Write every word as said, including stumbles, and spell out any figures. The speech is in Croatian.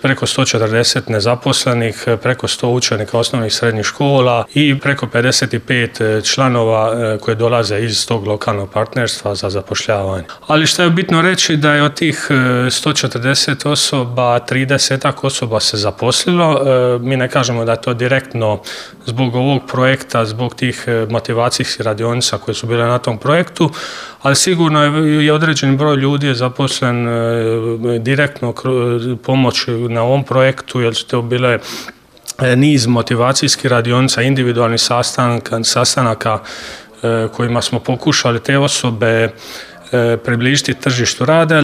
preko sto četrdeset nezaposlenih, preko sto učenika osnovnih i srednjih škola i preko pedeset pet članova koji dolaze iz tog lokalnog partnerstva za zapošljavanje. Ali što je bitno reći da je od tih sto četrdeset osoba, tridesetak osoba se zaposlilo. Mi ne kažemo da je to direktno zbog ovog projekta, zbog tih motivacijskih radionica koje su bile na tom projektu, ali sigurno je određeni broj ljudi je zaposlen direktno pomoć na ovom projektu, jer su to bile niz motivacijskih radionica, individualnih sastanaka, sastanaka kojima smo pokušali te osobe približiti tržištu rada.